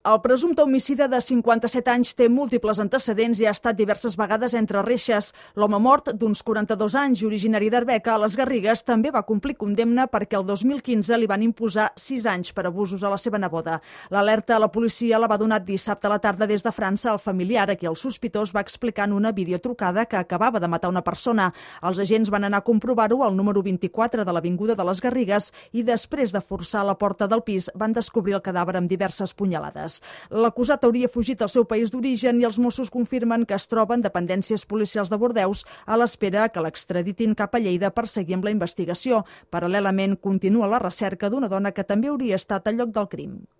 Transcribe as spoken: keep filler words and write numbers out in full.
El presumpte homicida de cinquanta-set anys té múltiples antecedents i ha estat diverses vegades entre reixes. L'home mort, d'uns quaranta-dos anys i originari d'Arbeca, a les Garrigues, també va complir condemna perquè el dos mil quinze li van imposar sis anys per abusos a la seva neboda. L'alerta a la policia la va donar dissabte a la tarda des de França al familiar, a qui el sospitós va explicar en una videotrucada que acabava de matar una persona. Els agents van anar a comprovar-ho al número vint-i-quatre de l'Avinguda de les Garrigues i després de forçar la porta del pis van descobrir el cadàver amb diverses punyalades. L'acusat hauria fugit al seu país d'origen i els Mossos confirmen que es troba en dependències policials de Bordeus a l'espera que l'extraditin cap a Lleida per seguir amb la investigació. Paral·lelament, continua la recerca d'una dona que també hauria estat al lloc del crim.